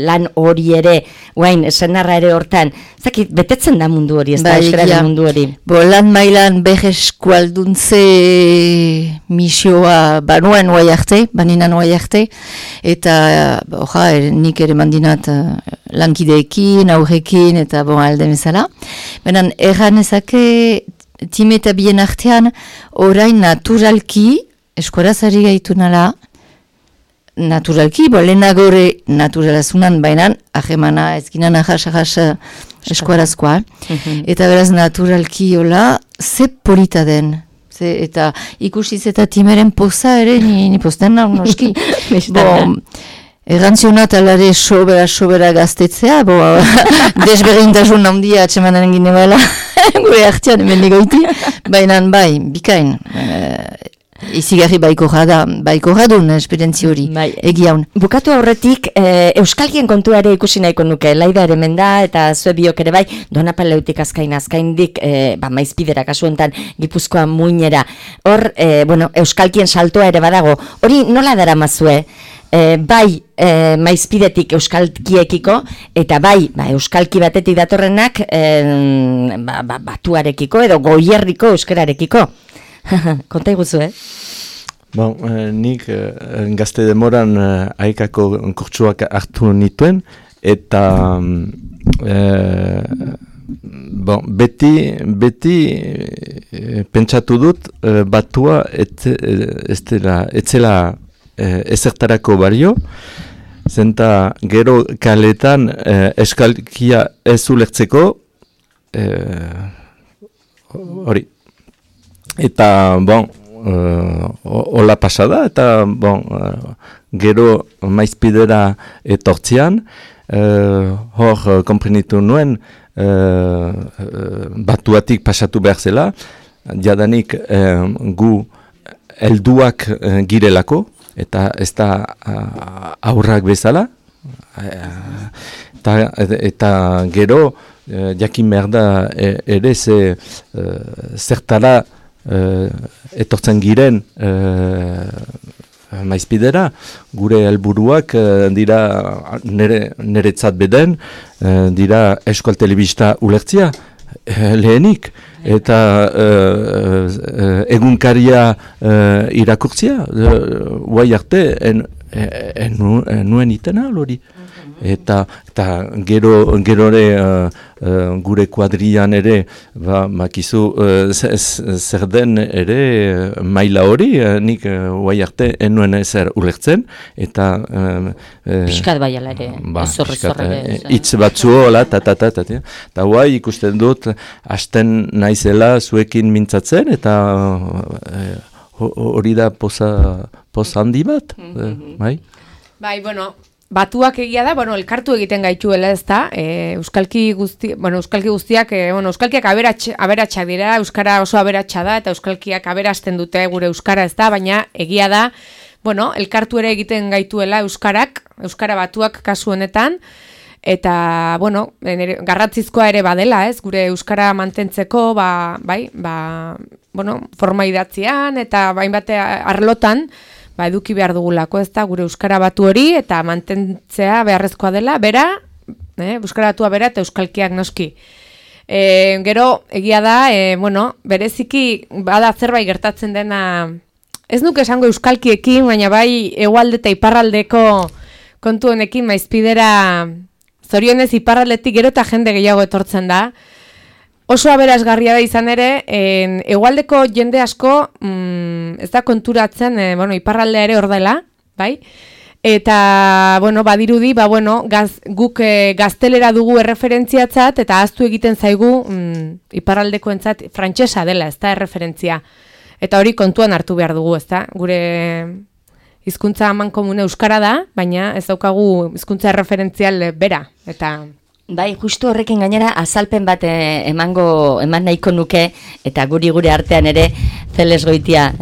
lan hori ere, guain, senarra ere hortan, zakit, betetzen da mundu hori, ez da euskararen mundu hori. Lan mailan eskualduntze misioa banuen baninan oai arte, eta nik ere mandinat lankideekin, aurrekin, eta alde bezala. Benan, erran ezake time eta bien artean, orain naturalki, eskuarazari gaitu nala, naturalki, lehenagore naturalazunan bainan, ahemana ezkinan ahas eskuarazkoa. Eta beraz naturalki hola, ze polita den. Eta ikusiz eta timeren poza ere, ni posten nahi noski. Errantzionat alare sobera gaztetzea, desberdintasun handia atxemanen gine bala, gure artean hemen negoiti, baina bai, bikain. Izigarri baiko jadun esperientzi hori, egiaun. Bukatu aurretik, euskalkien kontua ere ikusi nahiko nuke, Laida ere menda eta zue biok ere bai, Donapaleutik azkaindik, maizpidera kasuentan Gipuzkoa muinera. Hor, euskalkien saltoa ere badago, hori nola dara mazue? Bai maizpidetik euskalkiekiko, eta bai euskalki batetik datorrenak batuarekiko edo goierriko euskararekiko. Konta iguzu, nik gazte demoran haikako kurtsuak hartu nituen, eta beti pentsatu dut batua etzela ezertarako bario, zenta gero kaletan eskalkia ez ulertzeko hori. Eta, hola pasada, eta, gero maizpidera etortzian, hor komprenitu nuen, batuatik pasatu behar zela, jadanik gu helduak girelako, eta ez da aurrak bezala, eta gero, jakin behar da ere zertara etortzen giren maizpidera, gure helburuak dira niretzat beden, dira Euskal Telebista ulertzia, lehenik, eta egunkaria irakurtzia, guai arte, nuen itena hori. Eta gero gure kuadrian ere makizu zer den ere maila hori, nik guai arte enuen ezer ulertzen, eta piskat baiala ere, hitz batzuo, eta guai ikusten dut hasten naizela zuekin mintzatzen, eta hori da poza handi bat, bai? Bai, batuak egia da, elkartu egiten gaituela ez da, euskalki guztiak, euskalkiak aberatsak dira, euskara oso aberatsa da, eta euskalkiak aberasten dute gure euskara ez da, baina egia da, elkartu ere egiten gaituela euskara batuak kasu honetan, eta, garrantzizkoa ere badela, ez, gure euskara mantentzeko, forma idatzian, eta bainbate arlotan, eduki behar dugulako, ez da, gure euskara batu hori, eta mantentzea beharrezkoa dela, bera, euskara batua bera, eta euskalkiak noski. Gero, egia da, bereziki, bada zerbait gertatzen dena, ez nuke esango euskalkiekin, baina bai, hegoalde eta iparraldeko kontu honekin, maizpidera, zorionez iparraldetik gero eta jende gehiago etortzen da, oso aberasgarria da izan ere, hegoaldeko jende asko ez da konturatzen, iparraldea ere hor dela, bai? Eta, badirudi, guk gaztelera dugu erreferentziatzat, eta ahaztu egiten zaigu iparraldekoentzat frantsesa dela, ez da erreferentzia. Eta hori kontuan hartu behar dugu, ez da? Gure hizkuntza amankomune euskara da, baina ez daukagu hizkuntza erreferentzial bera, eta Bai, justu horrekin gainera azalpen bat eman nahiko nuke, eta gure artean ere, Zeles Goitia,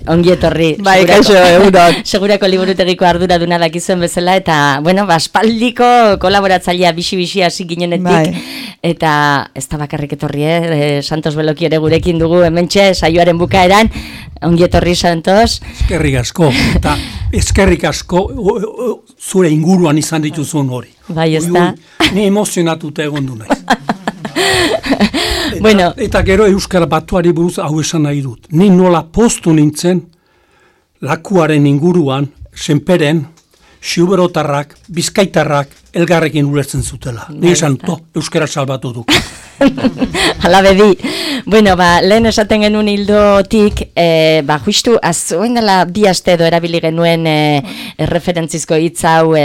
ongi etorri. Bai, kaixo, egunon. Segurako liburutegiko arduraduna dakizuen bezala, eta, bueno, aspaldiko kolaboratzailea bixi hasi ginenetik, bai. Eta ez da bakarrik etorri, Santos Beloki ere gurekin dugu, hementxe, saioaren bukaeran, ongi etorri, Santos. Eskerrik asko, eta eskerrik asko zure inguruan izan dituzun hori. Bai, ez da. Ni emozionatuta egon du naiz. Eta gero Euskara Batuari buruz hau esan nahi dut. Ni nola postu nintzen lakuaren inguruan, senperen, xiuberotarrak, bizkaitarrak, elgarrekin ulertzen zutela. Ni esan Euskara salbatu du. Hala bedi. Bueno, lehen esaten genuen hildotik, justu, oin dela 2 aste edo erabili genuen referentzizko hitz hau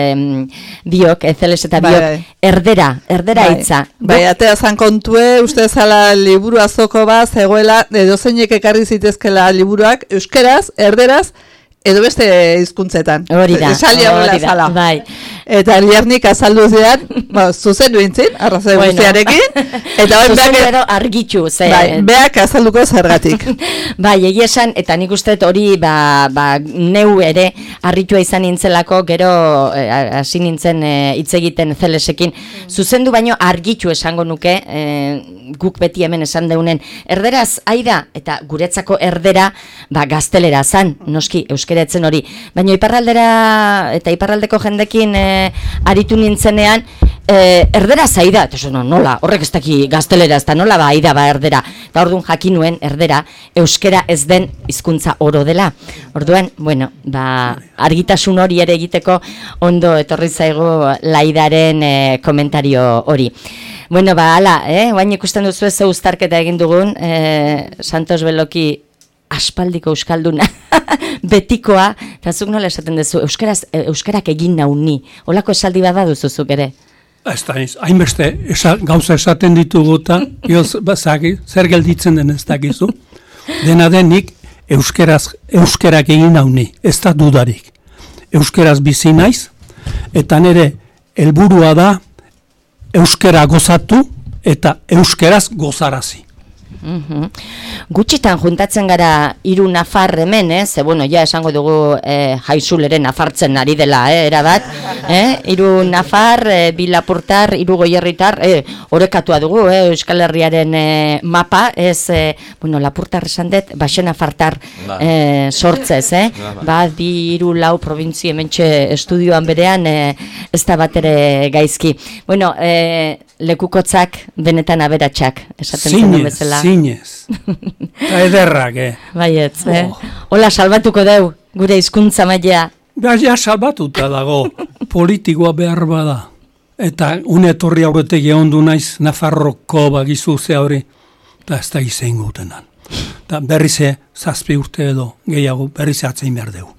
biok, Zeles eta biok, erdera hitza. Bai, atea zan kontue, uste zala liburu azoko bat, zegoela, edozeinek ekarri zitezkela liburuak, euskeraz, erderaz, edo beste hizkuntzetan. Hori da. Esalia hori zala. Bai. Eta Liarnik azaldu zean, zuzen duintzin, arrazoi guztiarekin. Eta zuzen edo argitxu, ze. Bai, beak azalduko zergatik. Bai, egia esan, eta nik uste hori, neu ere, harritua izan nintzelako, gero hasi nintzen hitz egiten Zelesekin. Zuzendu baino argitxu esango nuke, guk beti hemen esan deunen, erderaz, aida, eta guretzako erdera, gaztelera zan, noski, euskeratzen hori. Baina iparraldera, eta iparraldeko jendekin aritu nintzenean, erdera zaida, eta nola, horrek ez daki gaztelera, ez da nola aida erdera, eta orduan jakinuen erdera, euskera ez den hizkuntza oro dela. Orduan, bueno, argitasun hori ere egiteko ondo etorri zaigu Laidaren komentario hori. Bueno, hala, guain ikusten duzu ez uztarketa egin dugun, Santos Beloki aspaldiko euskalduna, betikoa, eta zuk nola esaten duzu, euskarak egin nauni, holako esaldi bat baduzuzuk ere? Ez da, hainbeste gauza esaten ditugu eta zer gelditzen den ez dakizu. Dena denik euskarak egin nauni, ez da dudarik. Euskaraz bizi naiz, eta nire helburua da euskara gozatu eta euskaraz gozarazi. Gutxitan juntatzen gara 3 nafar hemen, ze bueno, ja esango dugu Jaizuleren nafartzen ari dela, erabat, 3 nafar, 2 lapurtar, 3 goierritar, orekatua dugu, Euskal Herriaren mapa, ez, bueno, lapurtar esan dut, baxe nafartar sortzez, 2, 3, 4 provintzi hementxe estudioan berean, ez da bat ere gaizki. Bueno, lekukotzak benetan aberatsak, esaten zen bezala. Zinez, eta ederrak, Baietz, Hola, salbatuko deu, gure hizkuntza mailea. Ja, salbatuta dago, politikoa behar bada. Eta unetorri aurretek egondu naiz, Nafarroko bagizu ze hori, eta ez da izen gutenan. Eta berrize, 7 urte edo gehiago, berrize atzein behar dugu.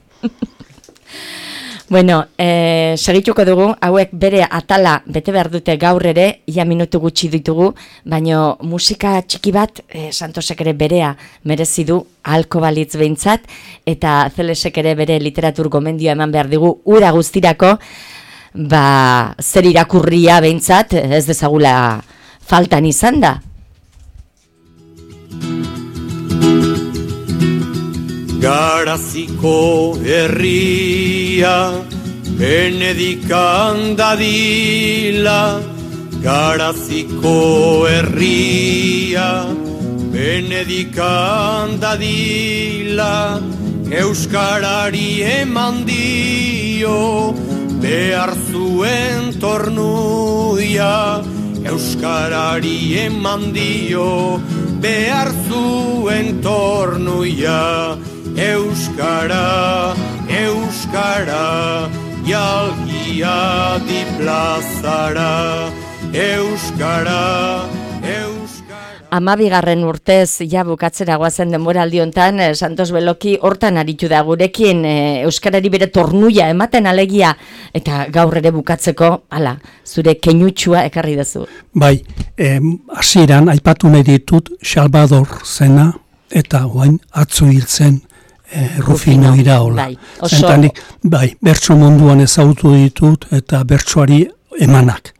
Bueno, segituko dugu, hauek bere atala bete behar dute gaur ere, ia minutu gutxi ditugu, baino musika txiki bat, Santosek ere berea merezi du, ahalko balitz behintzat, eta Zelesek ere bere literatur gomendioa eman behar digu, ura guztirako, zer irakurria behintzat, ez dezagula faltan izan da. Garaziko herria Benedikan dadila, Garaziko herria Benedikan dadila, Euskarari eman dio behar zuen tornuia, Euskarari eman dio behar zuen tornuia. Euskara, Euskara, jalgia di plazara, Euskara, Euskara. 12. urtez, ja bukatzera goazen denboraldi hontan, Santos Beloki hortan aritu da gurekin, Euskarari bere tornuia ematen alegia, eta gaur ere bukatzeko, hala, zure keinutxua ekarri duzu. Bai, hasieran aipatu nahi ditut Salvador zena, eta guain atzo hiltzen Rufino Iraola. Bai, bertso munduan ezagutu ditut eta bertsoari emanak.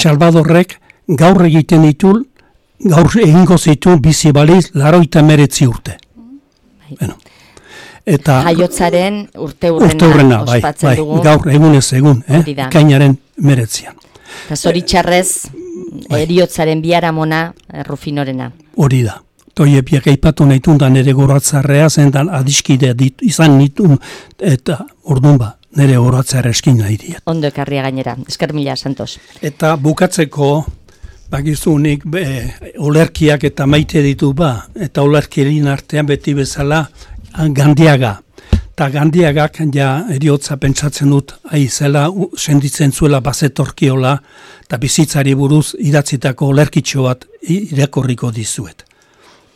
Salvadorrek gaur egiten ditu, gaur egingo zitu bizi baliz 89 urte. Bueno. Eta jaiotzaren urteurrena ospatzen dugu. Gaur egunez egun, ekainaren 19. Eta zoritxarrez, eriotzaren biharamona Rufinorena. Hori da. Toe biak aipatu nahi tundan ere goratzarrea zendan adiskide izan nitun eta orduan nire goratzarra eskin nahi diet. Ondo ekarria gainera, esker mila, Santos. Eta bukatzeko, bakizunik olerkiak eta maite ditu eta olerkien artean beti bezala Gandiaga. Eta Gandiagak ja eriotza pentsatzen dut aizela, senditzen zuela bazetorkiola eta bizitzari buruz idatzitako olerkitxo bat irakorriko dizuet.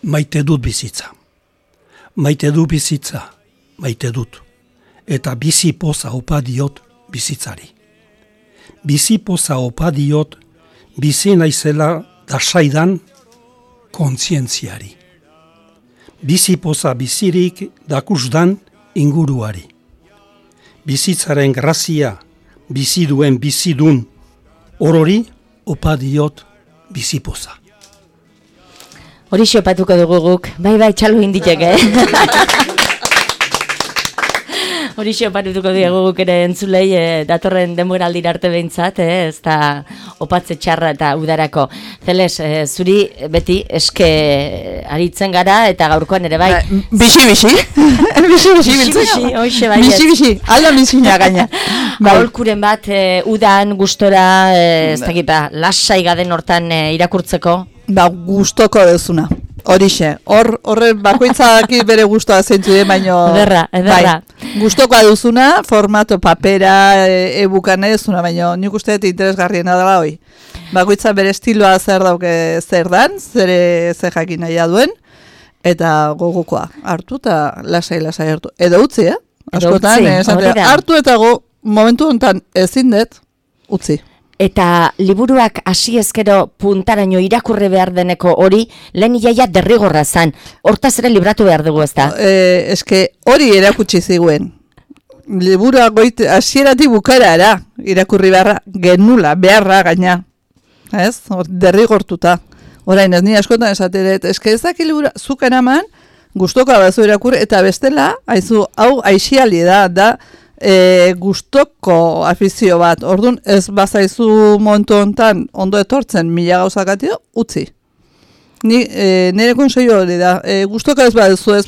Maite dut bizitza. Maite du bizitza. Maite dut. Eta bizi poza opa diot bizitzari. Bizi poza opa diot bizi naizela dasaidan kontzientziari. Bizi poza bizirik dakusdan inguruari. Bizitzaren grazia bizi duen bizidun orori opa diot bizi poza. Hori xopatuko dugu guk, bai, txalo inditek, Hori xopatuko dugu guk ere entzulei, datorren denboraldira arte behintzat, ez da opatze txarra eta udarako. Zeles, zuri beti eske aritzen gara eta gaurkoan ere bai. Bixi. Bixi, alda bizina gaina. Aholkuren bat, udan, gustora, ez dakipa, lasai gaden hortan irakurtzeko. Gustoko dezuna. Horixe, horre bakoitzak bere gustoa zeintzu baino... Ederra. Gustokoa duzuna, formato papera, e-bukan duzuna, baino nik uste interesgarriena dela hoi. Bakoitza bere estiloa zer dauke zer dan, zer jakin nahi duen, eta gogokoa hartu eta lasai hartu. Edo utzi, Askotan, hartu eta momentu honetan ezin dut, utzi. Eta liburuak hasi ezkero puntaraino irakurri behar deneko hori, lehen iaia derrigorra zan. Hortaz ere libratu behar dugu, ez da? Eske hori erakutsi ziguen. Liburuak hasieratik bukaera irakurri beharra gaina. Ez? Derrigortuta. Orain ez ni askotan esateret, eske ez daki libura zuk eraman, gustoka bazu irakurri, eta bestela, hau aixiali da gustoko afizio bat. Orduan ez bazaizu momentu hontan ondo etortzen 1000 gauzakatio, utzi. Nire konseio hori da. Gustoka ez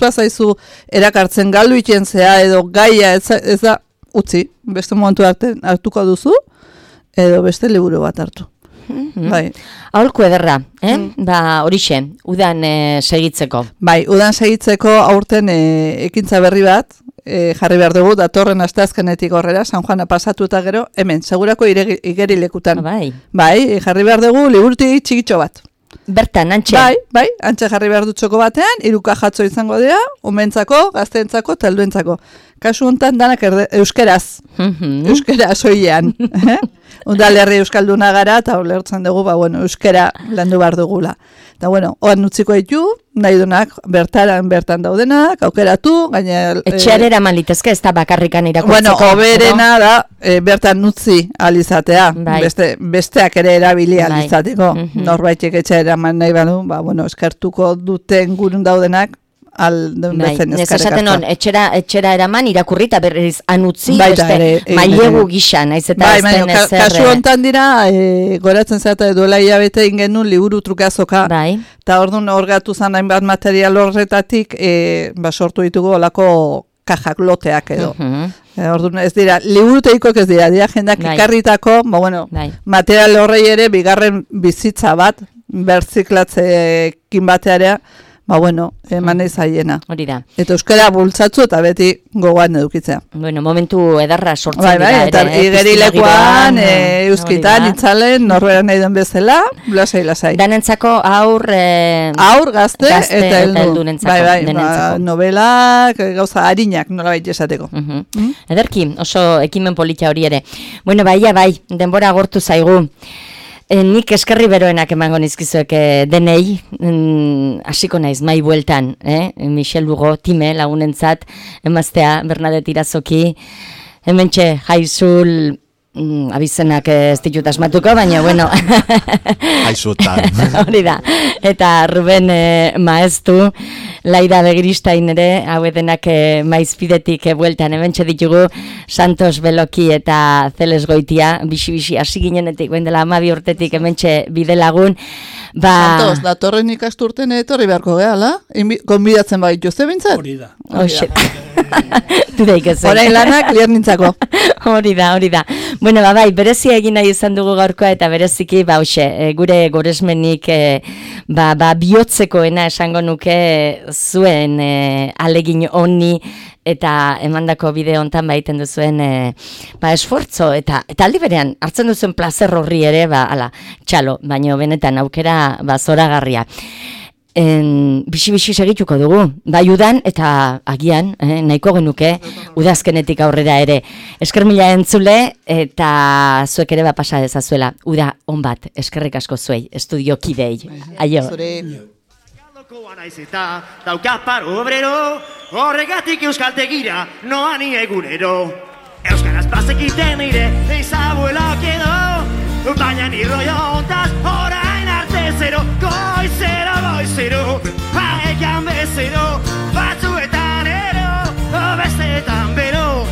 bazaizu erakartzen galdu ikentzea edo gaia ez da, utzi. Beste momentu hartuko duzu edo beste liburu bat hartu. Bai. Aholku ederra, horixe, udan segitzeko. Bai, udan segitzeko aurten ekintza berri bat, jarri behar dugu, datorren asteazkenetik horrera, San Juana pasatu eta gero, hemen, segurako igerilekutan. Bai, jarri behar dugu liburutik txikitxo bat. Bertan, antxe? Bai, antxe jarri behar dut txoko batean, 3 kajatzo izango dira, umentzako, gazteentzako, talduentzako. Kasu honetan danak euskeraz. Euskeraz oian. Udalerri euskalduna gara, eta ulertzen dugu, euskera landu behar dugula. Eta oan utziko ditu, nahi dunak, bertan daudenak, aukeratu, gaine... Etxearera malitezke, ez da bakarrikan irakurtzeko. Oberena da, bertan utzi alizatea. Besteak ere erabili alizateko. Norbaitek etxearera man nahi badu, eskartuko duten gurun daudenak, esaten hon, etxera eraman irakurri eta berriz anutzi, mailegu gisa, naiz eta ez den ezer. Kasu hontan dira, goratzen zata duela hilabete ingenun liburu trukazoka, eta orduan orgatu zan hainbat material horretatik, sortu ditugu olako kajak loteak edo. Orduan ez dira, liburuteikoak ez dira jendak ikarritako, material horrei ere bigarren bizitza bat, berziklatzekin batearea, eman ezaiena. Hori da. Eta euskara bultzatzu eta beti gogoan edukitzea. Momentu edarra sortzen dira. Eta igerilekuan, euskitan, itzalen, norbera nahi den bezala, lasai. Danentzako aur gazte eta heldunentzako. Novelak, gauza harinak, nola baita esateko. Ederki, oso ekimen politia hori ere. Bai, denbora agortu zaigu. Nik eskerri beroenak emango nizkizuek denei, hasiko naiz mai bueltan, Michel Lugo, time lagunentzat, emaztea, Bernadette Irazoki, hementxe Jaizul, abizenak ez ditut asmatuko, baina bueno. Aizutan. Hori da. Eta Ruben Maeztu, Laida Begiristain ere, hau edenak maizpidetik bueltan, hementxe ditugu Santos Beloki eta Zeles Goitia, bixi hasi ginenetik, ben dela 12 urtetik hementxe bidelagun. Santos, datorren ikasturten etorri beharko gehala, konbidatzen baitu ze bintzat? Hori da. Horain lanak liar nintzako. Hori da. Bueno, bai, berezia egin nahi izan dugu gaurkoa eta bereziki, gure goresmenik bihotzekoena esango nuke zuen alegin honi eta emandako bideo hontan baiten duzuen esfortzo eta aldi berean hartzen duzuen plazer horri ere, txalo, baino benetan aukera zoragarria. Bixi segituko dugu, bai udan eta agian, nahiko genuke, udazkenetik aurrera ere. Esker mila entzule eta zuek ere pasa dezazuela. Uda, on bat, eskerrik asko zuei, estudio kidei. Aio. Naiz eta dauka paro obrero, horregatik euskaltegira noa ni egunero. Euskaraz bazekiten nire eizabuelak edo, baina ni rollo ontaz orain arte zero. Goizero, haekan bezero, batzuetan ero, besteetan bero,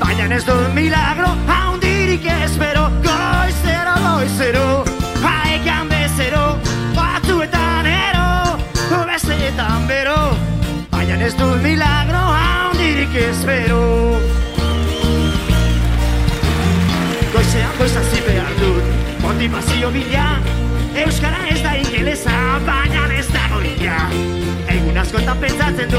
baina ez dut milagro, haundirik espero. Goizero, haekan bezero, batzuetan ero, besteetan bero, baina ez dut milagro, haundirik espero. Goizazi behar dut, motivazio bila, euskara ez da ingelesa, baina ez da goia. Egun askotan pentsatzen dut